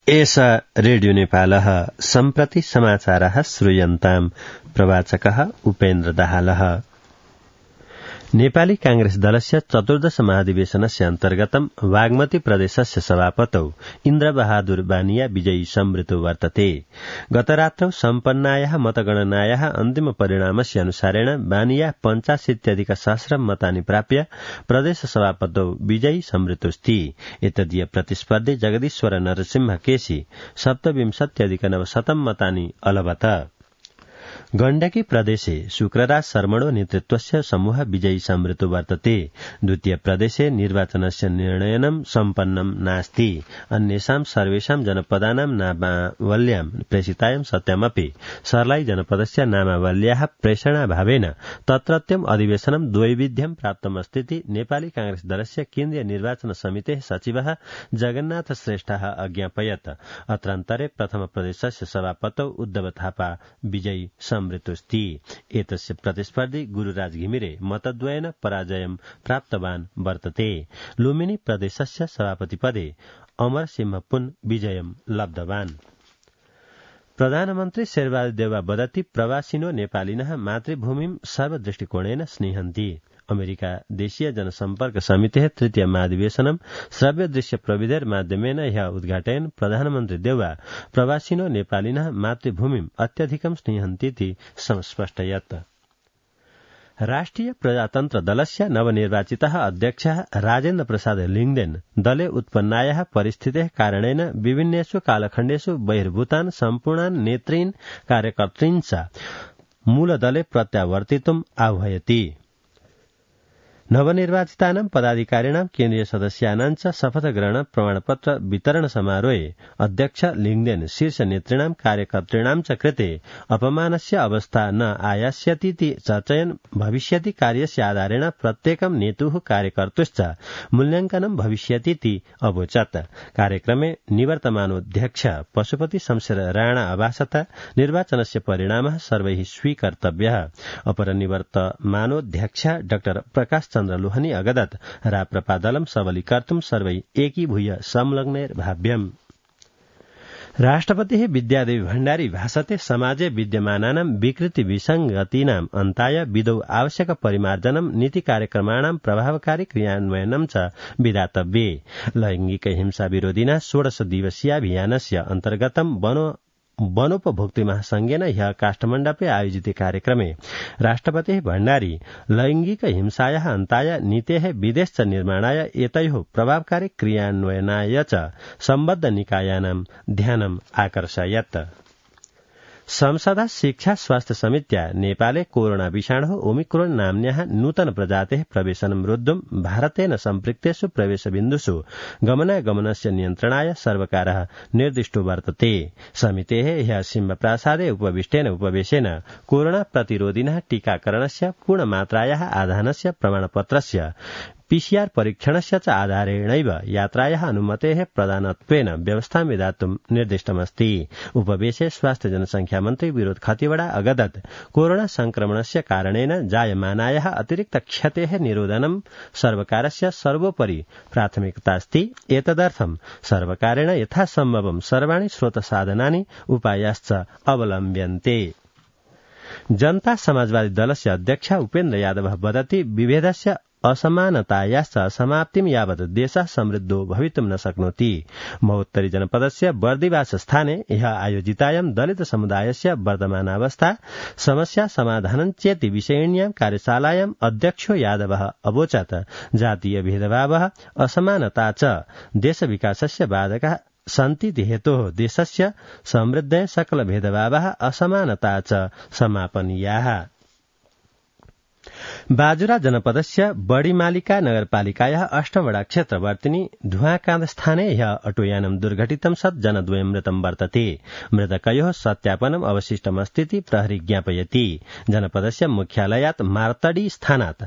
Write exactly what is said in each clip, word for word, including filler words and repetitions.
एषा रेडियो नेपालः सम्प्रति समाचारः श्रूयन्ताम् प्रवाचकः उपेन्द्र दाहालः। नेपाली कांग्रेस दलस्य चतुर्दश महाधिवेशनस्य अन्तर्गतं बागमती प्रदेशस्य सभापतौ इन्द्रबहादुर बानिया विजयी संवृतो वर्तते। गतरात्रौ सम्पन्नायाः मतगणनायाः अन्तिम परिणामस्य अनुसारेण बानिया पञ्चाशीत्यधिक सहस्रं मतानि प्राप्य प्रदेश सभापतौ विजयी संवृतोऽस्ति। एतदीय प्रतिस्पर्धी जगदीश्वर नरसिंह केसी सप्तविंशत्यधिक नवशतं मतानि अलभत। गण्डकी प्रदेशे शुक्रराज शर्मणो नेतृत्वस्य समूह विजयी संवृतो वर्तते। द्वितीय प्रदेशे निर्वाचनस्य निर्णयनं सम्पन्नं नास्ति। अन्येषां सर्वेषां जनपदानां नामावल्यां प्रेषितायां सत्यामपि सर्लाई जनपदस्य नामावल्याः प्रेषणाभावेन तत्रत्यम् अधिवेशनं द्वैविध्यं प्राप्तमस्तीति नेपाली कांग्रेस दलस्य केन्द्रीय निर्वाचन समितेः सचिवः जगन्नाथ श्रेष्ठः अज्ञापयत्। अत्रान्तरे प्रथम प्रदेशस्य सभापतौ उद्धव थापा विजयी संवृतोऽस्ति। एतस्य प्रतिस्पर्धी गुरुराज घिमिरे मतद्वयेन पराजयं प्राप्तवान् वर्तते। लुम्बिनी प्रदेशस्य सभापतिपदे अमरसिंह पुन विजयं लब्धवान्। प्रधानमन्त्री शेरबहादुर देउवा वदति प्रवासिनो नेपालिनः मातृभूमिं सर्वदृष्टिकोणेन स्नेहन्ति। अमेरिका देशीय जनसम्पर्क समितेः तृतीय महाधिवेशनं श्रव्य दृश्य प्रविधेर माध्यमेन ह्यः उद्घाटयन् प्रधानमन्त्री देउवा प्रवासिनो नेपालिनः मातृभूमिं अत्यधिकं स्नेहन्तीति स्पष्टयत्। राष्ट्रिय प्रजातन्त्र दलस्य नवनिर्वाचितः अध्यक्षः राजेन्द्र प्रसाद लिङदेन दले उत्पन्नायाः परिस्थितेः कारणेन विभिन्नेषु कालखण्डेषु बहिर्भूतान् सम्पूर्णान् नेतॄन् कार्यकर्तॄन् च मूलदले प्रत्यावर्तितुम् आह्वयति। नवनिर्वाचितानां पदाधिकारिणां केन्द्रीय सदस्यानां च शपथग्रहण प्रमाणपत्र वितरण समारोहे अध्यक्ष लिङदेन शीर्ष नेतॄणां कार्यकर्तॄणां च कृते अपमानस्य अवस्था न आयास्यतीति चर्चयन् भविष्यति कार्यस्य आधारेण प्रत्येकं नेतुः कार्यकर्तुश्च मूल्याङ्कनं भविष्यतीति अवोचत्। कार्यक्रमे निवर्तमानोऽध्यक्ष पशुपति शमशेर राणा अभाषत निर्वाचनस्य परिणामः सर्वैः स्वीकर्तव्यः। अपर निवर्तमानोऽध्यक्ष डाक्टर प्रकाश चन्द्र लोहनी अगदत् राप्रपादलं सबलीकर्तुं सर्वै एकीभूय संलग्नैर्भाव्यम्। राष्ट्रपतिः विद्यादेवी भण्डारी भाषते समाजे विद्यमानानां विकृति विसङ्गतीनाम् अन्ताय विदौ आवश्यक परिमार्जनं नीति कार्यक्रमाणां प्रभावकारी क्रियान्वयनं च विधातव्ये। लैङ्गिक हिंसा विरोधिना षोडश दिवसीयाभियानस्य अन्तर्गतं वनो वनोपभोक्तृ महासंघेन ह्यः काष्ठमण्डपे आयोजिते कार्यक्रमे राष्ट्रपतिः भण्डारी लैङ्गिक हिंसायाः अन्ताय नीतेः विदेश निर्माणाय एतयोः प्रभावकारी क्रियान्वयनाय च सम्बद्ध निकायानां ध्यानम् आकर्षयत्। संसदा शिक्षा स्वास्थ्य समित्या नेपाले कोरोना विषाणुः ओमिक्रोन नाम्न्याः नूतन प्रजातेः प्रवेशनं रोद्धुं भारतेन सम्पृक्तेषु प्रवेशबिन्दुषु गमनागमनस्य नियन्त्रणाय सर्वकारः निर्दिष्टो वर्तते। समितेः ह्यः सिंहप्रासादे उपविष्टेन उपवेशेन कोरोना प्रतिरोधिनः टीकाकरणस्य पूर्णमात्रायाः आधानस्य प्रमाणपत्रस्य पीसीआर परीक्षणस्य च आधारेणैव यात्रायाः अनुमतेः प्रदानत्वेन व्यवस्थां विधातुं निर्दिष्टमस्ति। उपवेशे स्वास्थ्य जनसंख्या मन्त्री विनोद खतिवड़ा अगदत् कोरोना संक्रमणस्य कारणेन जायमानायाः अतिरिक्त क्षतेः निरोधनं सर्वकारस्य सर्वोपरि प्राथमिकतास्ति। एतदर्थं सर्वकारेण यथासम्भवं सर्वाणि स्रोतसाधनानि उपायाश्च अवलम्ब्यन्ते। जनता समाजवादी दलस्य अध्यक्ष उपेन्द्र यादवः वदति विभेदस्य असमानतायाश्च समाप्तिं यावत् देशः समृद्धो भवितुं न शक्नोति। महोत्तरी जनपदस्य बर्दिवास स्थाने ह्यः आयोजितायां दलित समुदायस्य वर्तमानावस्था समस्या समाधानं चेति विषयिण्यां कार्यशालायां अध्यक्षो यादवः अवोचत् जातीय भेदभावः असमानता च देश विकासस्य बाधकः सन्तीति हेतोः देशस्य समृद्धये सकल भेदभावः असमानता च समापनीयाः। बाजुरा जनपदस्य बड़ीमालिका नगरपालिकायाः अष्टवड़ा क्षेत्रवर्तिनी धुवाकान्द स्थाने ह्यः अटोयानं दुर्घटितं सत् जनद्वयं मृतं वर्तते। मृतकयोः सत्यापनम् अवशिष्टमस्तीति प्रहरी ज्ञापयति। जनपदस्य मुख्यालयात् मार्तडी स्थानात्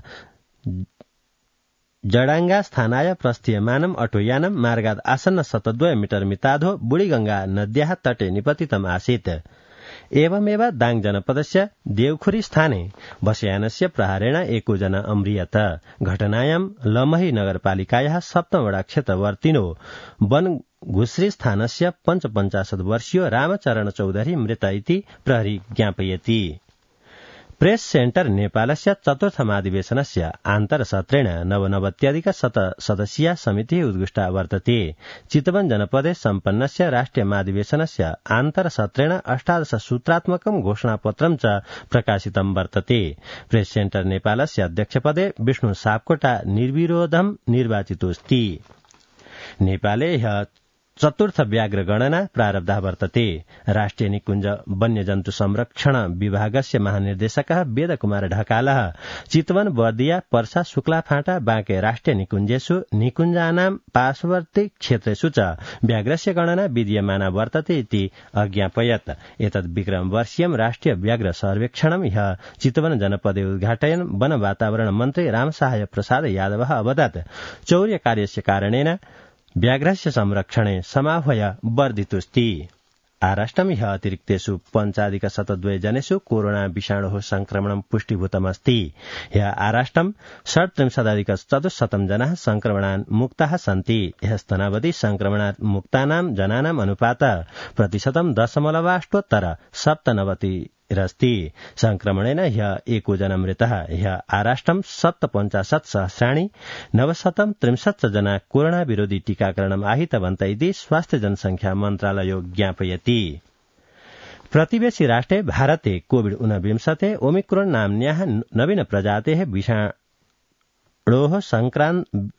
जडाङ्गा स्थानाय प्रस्थीयमानम् अटोयानं मार्गात् आसन्न शतद्वय मीटर मिताधो बुढीगंगा नद्याः तटे निपतितम् आसीत्। एवमेव दाङ जनपदस्य देवखुरी स्थाने बसयानस्य प्रहारेण एको जना अम्रियत। घटनायां लमही नगरपालिकायाः सप्तमवड़ा क्षेत्रवर्तिनो वन घुश्री स्थानस्य पञ्चपञ्चाशत् वर्षीयो रामचरण चौधरी मृत इति प्रहरी ज्ञापयति। प्रेस सेन्टर नेपालस्य चतुर्थमाधिवेशनस्य आन्तरसत्रेण नवनवत्यधिक शत सदस्यीया समितिः उद्घुष्टा वर्तते। चितवन जनपदे सम्पन्नस्य राष्ट्रिय माधिवेशनस्य आन्तरसत्रेण अष्टादश सूत्रात्मकं घोषणापत्रं च प्रकाशितं वर्तते। प्रेस सेन्टर नेपालस्य अध्यक्षपदे विष्णु सापकोटा निर्विरोधं निर्वाचितोऽस्ति। नेपाले ह्यः चतुर्थ व्याघ्र गणना प्रारब्धः वर्तते। राष्ट्रिय निकुञ्ज वन्यजन्तु संरक्षण विभागस्य महानिर्देशकः वेदकुमार ढकालः चितवन बर्दिया पर्सा शुक्लाफाँटा बाँके राष्ट्रिय निकुञ्जेषु निकुञ्जानां पार्श्ववर्ती क्षेत्रेषु च व्याघ्रस्य गणना विधीयमाना वर्तते इति अज्ञापयत्। एतद् विक्रमवर्षीयं राष्ट्रिय व्याघ्र सर्वेक्षणं ह्यः चितवन जनपदे उद्घाटयन् वन वातावरण मन्त्री रामसहाय प्रसाद यादवः अवदत्। चौर्यकार्यस्य कारणेन व्याघ्रस्य संरक्षणे समाह्वय वर्धितोऽस्ति। आराष्ट्रं ह्यः अतिरिक्तेषु पञ्चाधिक शतद्वय जनेषु कोरोना विषाणोः संक्रमणं पुष्टिभूतमस्ति। ह्यः आराष्ट्रं षट्त्रिंशदधिक चतुश्शतं जनाः संक्रमणात् मुक्ताः सन्ति। ह्यस्तनावधि संक्रमणात् मुक्तानां जनानाम् अनुपातः प्रतिशतं दशमलवाष्टोत्तर सप्तनवति रस्ति। संक्रमणेन ह्यः एको जना मृतः। ह्यः आराष्ट्रं सप्तपञ्चाशत् सहस्राणि नवशतं त्रिंशत् जना कोरोना विरोधी टीकाकरणम् आहितवन्त इति स्वास्थ्य जनसंख्या मन्त्रालयो ज्ञापयति। प्रतिवेशी राष्ट्रे भारते कोविड ऊनविंशते ओमिक्रोन नाम्न्याः नवीन प्रजातेः विषाणोः संक्रान्त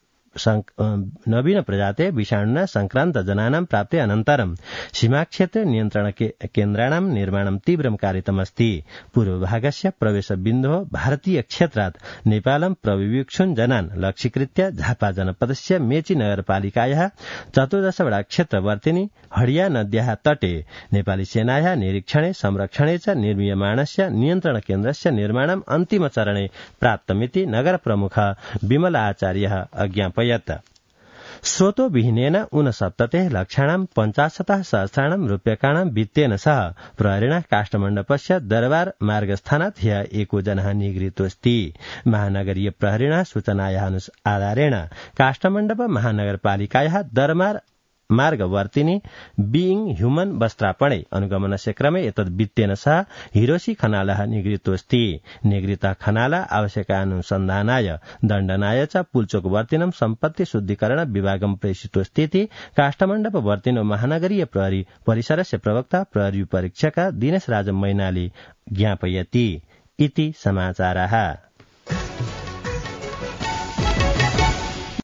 नवीन प्रजाते विषाणुना संक्रान्त जनानां प्राप्ते अनन्तरं सीमाक्षेत्रे नियन्त्रण केन्द्राणां निर्माणं तीव्रं कारितमस्ति। पूर्वभागस्य प्रवेशबिन्दोः भारतीय क्षेत्रात् नेपालं प्रविवीक्षुन् जनान् लक्ष्यीकृत्य झापा जनपदस्य मेची नगरपालिकायाः चतुर्दशवटा क्षेत्रवर्तिनि हडिया नद्याः तटे नेपाली सेनायाः निरीक्षणे संरक्षणे च निर्मीयमाणस्य नियन्त्रण केन्द्रस्य निर्माणम् अन्तिमचरणे प्राप्तमिति नगर प्रमुख विमल आचार्यः अज्ञापयत्। स्रोतो विहीनेन ऊनसप्ततेः लक्षाणां पञ्चाशतः सहस्राणां रूप्यकाणां वित्तेन सह प्रहरिणा काष्ठमण्डपस्य दरबार मार्गस्थानात् ह्यः एको जनः निगृहीतोऽस्ति। महानगरीय प्रहरिणा सूचनायाः आधारेण काष्ठमण्डप महानगरपालिकायाः दरबार मार्गवर्तिनि बीइंग ह्यूमन वस्त्रापणे अनुगमनस्य क्रमे एतद् वित्तेन सह हिरोशी खनालः निगृहीतोऽस्ति। निगृहीतः खनाल आवश्यकानुसन्धानाय दण्डनाय च पुल्चोकवर्तिनं सम्पत्ति शुद्धिकरण विभागं प्रेषितोऽस्ति इति काष्ठमण्डपवर्तिनो महानगरीय प्रहरी परिसरस्य प्रवक्ता प्रहरी परीक्षक दिनेश राज मैनाली ज्ञापयति। इति समाचारः।